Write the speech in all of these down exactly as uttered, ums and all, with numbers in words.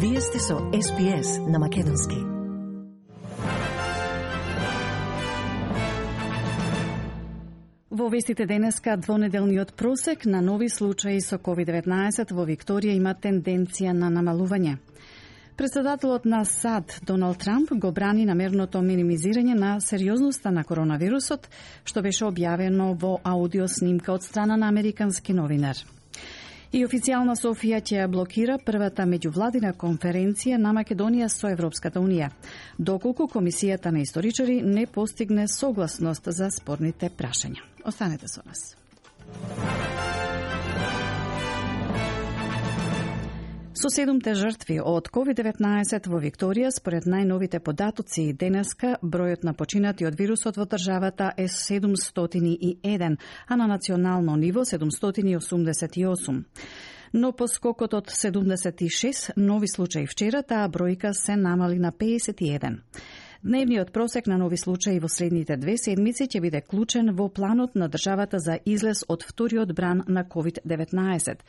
Вие сте со Ес Би Ес на Македонски. Во вестите денеска, двонеделниот просек на нови случаи со ковид деветнаесет во Викторија има тенденција на намалување. Председателот на САД Доналд Трамп го брани намерното минимизирање на сериозноста на коронавирусот, што беше објавено во аудио снимка од страна на американски новинар. И официјална Софија ќе блокира првата меѓувладина конференција на Македонија со Европската Унија, доколку Комисијата на историчари не постигне согласност за спорните прашања. Останете со нас. Со седумте жртви од ковид деветнаесет во Викторија, според најновите податоци денеска, бројот на починати од вирусот во државата е седумстотини и еден, а на национално ниво седумстотини и осумдесет и осум. Но по скокот од седумдесет и шест нови случаи вчера, таа бројка се намали на пеесет и еден. Дневниот просек на нови случаи во следните две седмици ќе биде клучен во планот на државата за излез од вториот бран на ковид деветнаесет.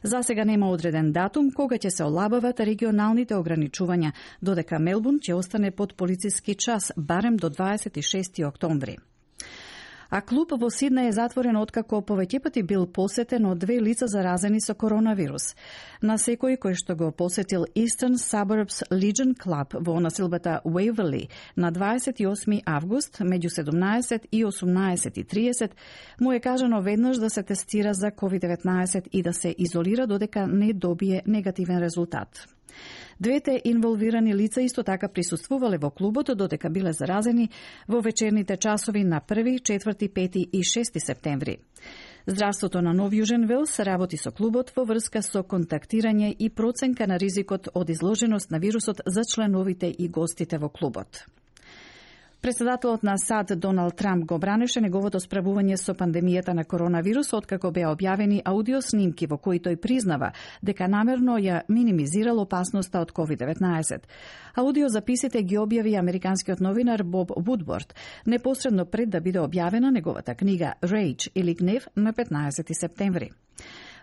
За сега нема одреден датум кога ќе се олабават регионалните ограничувања, додека Мелбурн ќе остане под полициски час барем до дваесет и шести октомври. А клуб во Сиднеј е затворен откако повеќе пати бил посетен од две лица заразени со коронавирус. На секој кој што го посетил Eastern Suburbs Legion Club во населбата Waverley на дваесет и осми август меѓу седумнаесет и осумнаесет и триесет му е кажано веднаш да се тестира за ковид деветнаесет и да се изолира додека не добие негативен резултат. Двете инволвирани лица исто така присуствувале во клубот додека биле заразени во вечерните часови на први, четврти, пети и шести септември. Здравството на Нов Јужен Велс работи со клубот во врска со контактирање и проценка на ризикот од изложеност на вирусот за членовите и гостите во клубот. Председателот на САД Доналд Трамп го бранеше неговото справување со пандемијата на коронавирус откако беа објавени аудиоснимки во кои тој признава дека намерно ја минимизирал опасноста од ковид деветнаесет. Аудиозаписите ги објави американскиот новинар Боб Вудворд непосредно пред да биде објавена неговата книга Rage или Гнев на петнаесети септември.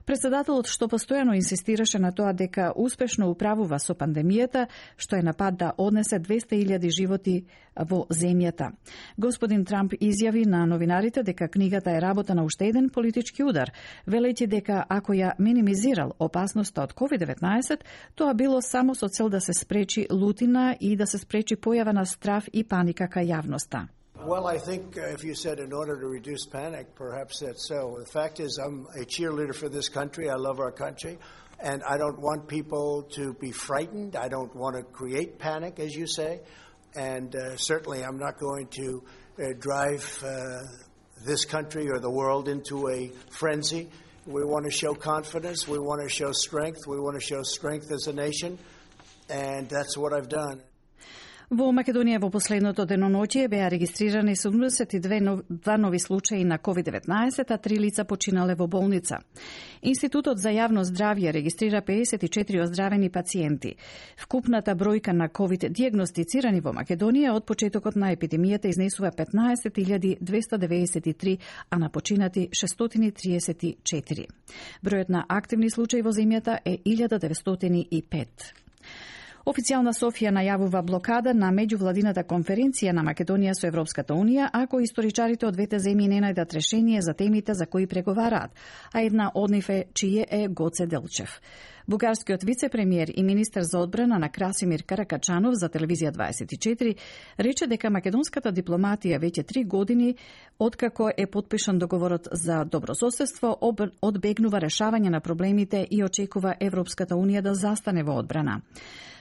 Председателот што постојано инсистираше на тоа дека успешно управува со пандемијата, што е на пат да однесе двесте илјади животи во земјата. Господин Трамп изјави на новинарите дека книгата е работа на уште еден политички удар, велејќи дека ако ја минимизирал опасноста од ковид деветнаесет, тоа било само со цел да се спречи лутина и да се спречи појава на страв и паника кај јавноста. Well, I think uh, if you said in order to reduce panic, perhaps that's so. The fact is I'm a cheerleader for this country. I love our country. And I don't want people to be frightened. I don't want to create panic, as you say. And uh, certainly I'm not going to uh, drive uh, this country or the world into a frenzy. We want to show confidence. We want to show strength. We want to show strength as a nation. And that's what I've done. Во Македонија во последното деноноќие беа регистрирани седумдесет и две нови случаи на ковид деветнаесет, а три лица починале во болница. Институтот за јавно здравје регистрира пеесет и четири оздравени пациенти. Вкупната бројка на ковид дијагностицирани во Македонија од почетокот на епидемијата изнесува петнаесет илјади двесто деветдесет и три, а на починати шестстотини триесет и четири. Бројот на активни случаи во земјата е илјада деветстотини и пет. Официјална Софија најавува блокада на меѓувладината конференција на Македонија со Европската Унија ако историчарите од двете земји не најдат решение за темите за кои преговараат, а една од нив е чие е Гоце Делчев. Бугарскиот вице-премиер и министер за одбрана на Красимир Каракачанов за телевизија дваесет и четири рече дека македонската дипломатија веќе три години откако е потпишан договорот за добрососедство одбегнува решавање на проблемите и очекува Европската Унија да застане во одбрана.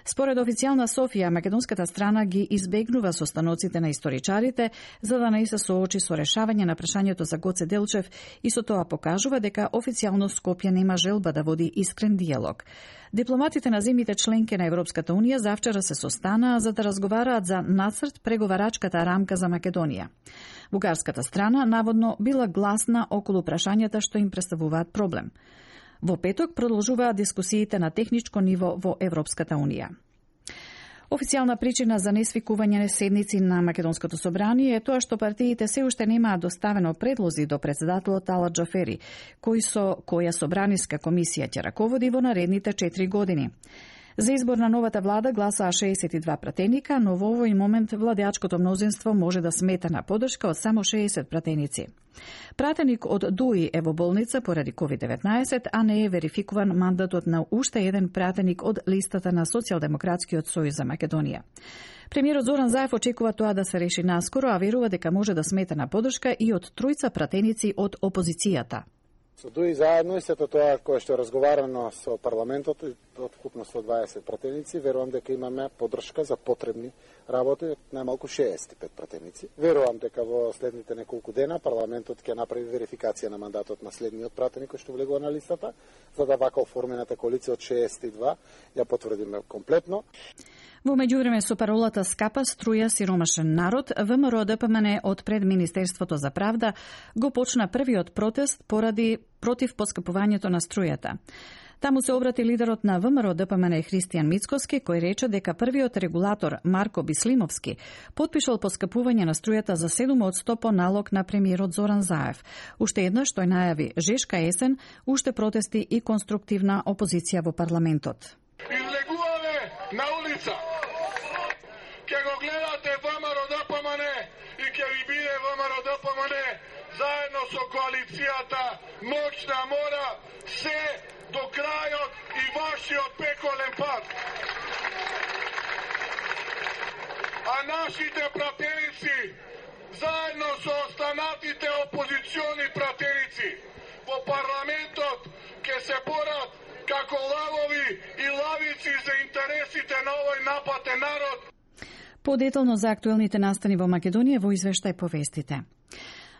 Според официјална Софија, македонската страна ги избегнува состаноците на историчарите за да не се соочи со решавање на прашањето за Гоце Делчев и со тоа покажува дека официјално Скопје нема желба да води искрен диалог. Дипломатите на земјите членки на Европската Унија завчера се состанаа за да разговараат за нацрт преговарачката рамка за Македонија. Бугарската страна наводно била гласна околу прашањата што им представуваат проблем. Во петок продолжуваат дискусиите на техничко ниво во Европската Унија. Официјална причина за несвикување на седници на Македонското собрание е тоа што партиите се уште немаат доставено предлози до председателот Ала Џафери, кој со која собраниска комисија ќе раководи во наредните четири години. За избор на новата влада гласаа шеесет и два пратеника, но во овој момент владеачкото мнозинство може да смета на поддршка од само шеесет пратеници. Пратеник од ДУИ е во болница поради ковид деветнаесет, а не е верификуван мандатот на уште еден пратеник од листата на Социјалдемократскиот сојуз за Македонија. Премиерот Зоран Заев очекува тоа да се реши наскоро, а верува дека може да смета на поддршка и од тројца пратеници од опозицијата. Со ДУИ заедно и сето тоа кое што е разговарано со парламентот, од вкупно сто дваесет пратеници, верувам дека имаме поддршка за потребни работи од најмалку шеесет и пет пратеници. Верувам дека во следните неколку дена парламентот ќе направи верификација на мандатот на следниот пратеник кој што влегува на листата, за да вака оформената коалиција од шеесет и два ја потврдиме комплетно. Во меѓувреме со паролата "Скапа струја сиромашен народ", ВМРО Д П М Н од пред Министерството за правда го почна првиот протест поради против поскапувањето на струјата. Таму се обрати лидерот на ВМРО Д П М Н Христијан Мицкоски, кој рече дека првиот регулатор Марко Бислимовски потпишал поскапување на струјата за седум од сто по налог на премиерот Зоран Заев. Уште еднаш тој најави жешка есен, уште протести и конструктивна опозиција во парламентот. Излегуваме на улица. Ке го гледате ВМРО Д П М Н и ке ви биде ВМРО Д П М Н заедно со коалицијата моќна мора се до крајот и вашиот пеколен пат. А нашите пратеници заедно со останатите опозициони пратеници во парламентот ке се борат како лавови и лавици за интересите на овој напатен народ. Подетално за актуелните настани во Македонија во извештај повестите.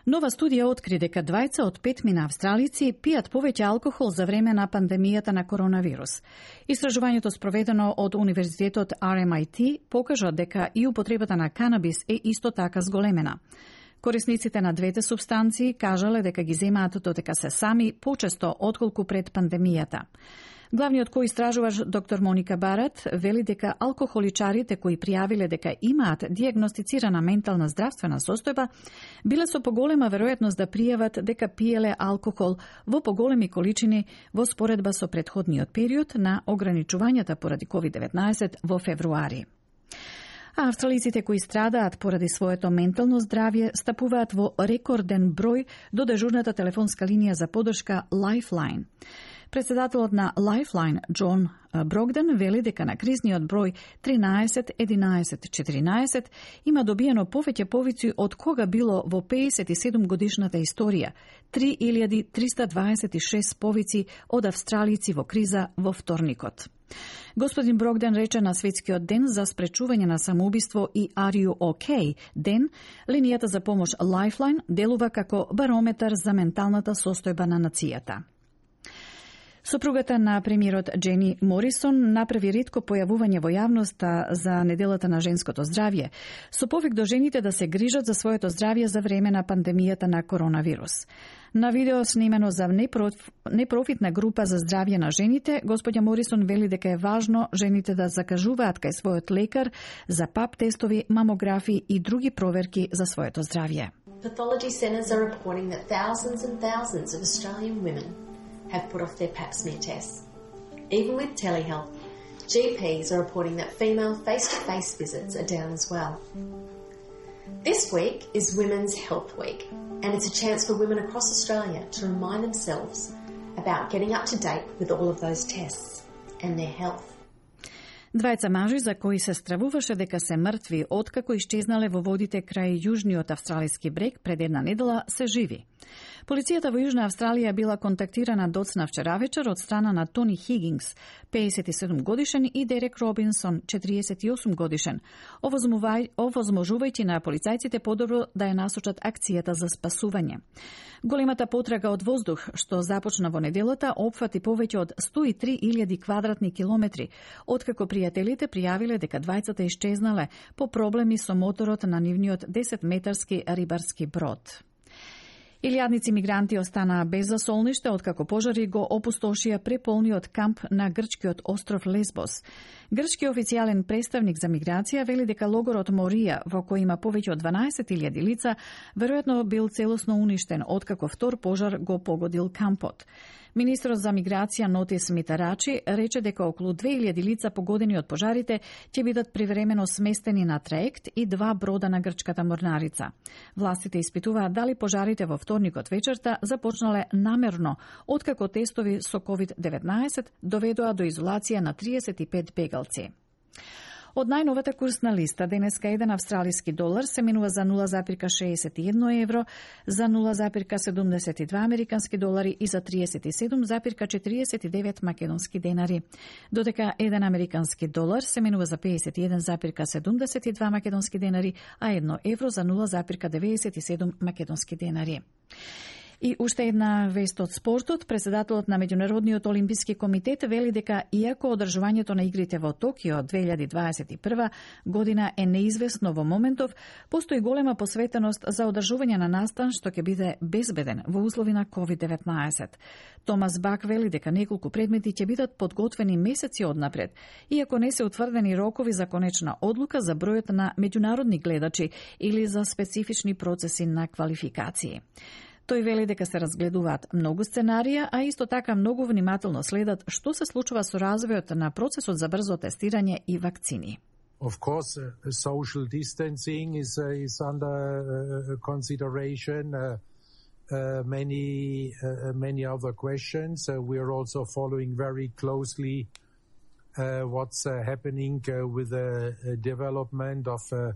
Нова студија откри дека двајца од петмина австралици пијат повеќе алкохол за време на пандемијата на коронавирус. Истражувањето спроведено од Универзитетот Р М I T покажа дека и употребата на канабис е исто така зголемена. Корисниците на двете субстанции кажале дека ги земаат додека се сами почесто отколку пред пандемијата. Главниот коистражуваш доктор Моника Барат вели дека алкохоличарите кои пријавиле дека имаат дијагностицирана ментална здравствена состојба биле со поголема веројатност да пријават дека пиеле алкохол во поголеми количини во споредба со претходниот период на ограничувањата поради ковид деветнаесет во февруари. А австралиците кои страдаат поради своето ментално здравје стапуваат во рекорден број до дежурната телефонска линија за поддршка Lifeline. Председателот на Lifeline, Џон Брогден, вели дека на кризниот број тринаесет единаесет четиринаесет има добиено повеќе повици од кога било во пеесет и седум годишната историја, три илјади триста дваесет и шест повици од австралици во криза во вторникот. Господин Брогден рече на Светскиот ден за спречување на самоубиство и Are You OK ден, линијата за помош Lifeline делува како барометар за менталната состојба на нацијата. Сопругата на премиерот Джени Морисон направи ретко појавување во јавноста за неделата на женското здравје, со повик до жените да се грижат за своето здравје за време на пандемијата на коронавирус. На видео снимено за непрофитна група за здравје на жените, господја Морисон вели дека е важно жените да закажуваат кај својот лекар за пап тестови, мамографи и други проверки за своето здравје. Pathology centres are reporting that thousands and thousands of Australian women have put off their pap smear tests. Even with telehealth, G Ps are reporting that female face-to-face visits are down as well. This week is Women's Health Week, and it's a chance for women across Australia to remind themselves about getting up to date with all of those tests and their health. Двајца мажи за кои се стравуваше дека се мртви откако исчезнале во водите крај јужниот австралиски брег пред една недела се живи. Полицијата во Јужна Австралија била контактирана доцна вчера вечер од страна на Тони Хигинс, пеесет и седум годишен, и Дерек Робинсон, четириесет и осум годишен, овозможувајќи на полицајците подобро да ја насочат акцијата за спасување. Големата потрага од воздух, што започна во неделата, опфати повеќе од сто и три илјади квадратни километри, откако пријателите пријавиле дека двајцата исчезнале по проблеми со моторот на нивниот десетметарски рибарски брод. Илјадници мигранти останаа без засолниште откако пожари го опустошија преполниот камп на грчкиот остров Лесбос. Грчки официјален представник за миграција вели дека логорот Морија, во кој има повеќе од дванаесет илјади лица, веројатно бил целосно уништен откако втор пожар го погодил кампот. Министрот за миграција Нотис Митарачи рече дека околу две илјади лица погодени од пожарите ќе бидат привремено сместени на траект и два брода на грчката морнарица. Властите испитуваат дали пожарите во вторникот вечерта започнале намерно, откако тестови со ковид деветнаесет доведоа до изолација на триесет и пет бегалци. Од најновата курсна листа, денеска еден австралиски долар се менува за нула зарез шеесет и едно евро, за нула зарез седумдесет и два американски долари и за триесет и седум зарез четириесет и девет македонски денари. Додека еден американски долар се менува за пеесет и еден зарез седумдесет и два македонски денари, а едно евро за нула зарез девеесет и седум македонски денари. И уште една вест од спортот. Председателот на Меѓународниот олимписки комитет вели дека иако одржувањето на игрите во Токио две илјади дваесет и прва година е неизвестно во моментов, постои голема посветеност за одржување на настан што ќе биде безбеден во услови на ковид деветнаесет. Томас Бак вели дека неколку предмети ќе бидат подготвени месеци однапред, иако не се утврдени рокови за конечна одлука за бројот на меѓународни гледачи или за специфични процеси на квалификации. Тој вели дека се разгледуваат многу сценарија, а исто така многу внимателно следат што се случува со развојот на процесот за брзо тестирање и вакцини. Of course, uh, social distancing is uh, is under uh, consideration. Uh, uh, many uh, many other questions. Uh, we are also following very closely uh, what's uh, happening uh, with the uh, development of uh,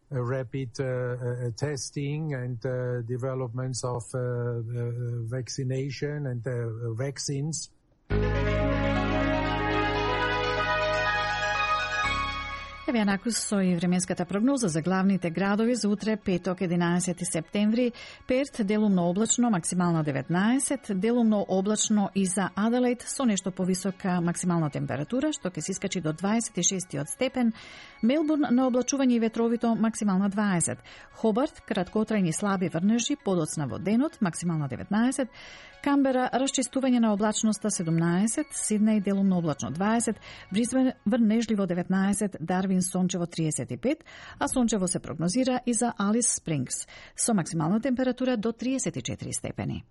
Uh, rapid uh, uh, testing and uh, developments of uh, uh, vaccination and uh, vaccines. Еве накус со и временската прогноза за главните градови за утре, петок, единаесети септември. Перт делумно облачно, максимално деветнаесет, делумно облачно и за Аделаид со нешто повисока максимална температура, што ќе се искачи до дваесет и шест степен. Мелбурн на облачување и ветровито, максимална дваесет. Хобарт, краткотрајни слаби врнежи, подоцна во денот, максимална деветнаесет. Камбера, расчистување на облачноста седумнаесет, Сиднеј делумно облачно дваесет, Брисбен врнежливо деветнаесет, Дарвин сончево триесет и пет, а сончево се прогнозира и за Алис Спрингс со максимална температура до триесет и четири степени.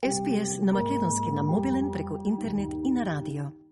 Ес Би Ес на македонски на мобилен преку интернет и на радио.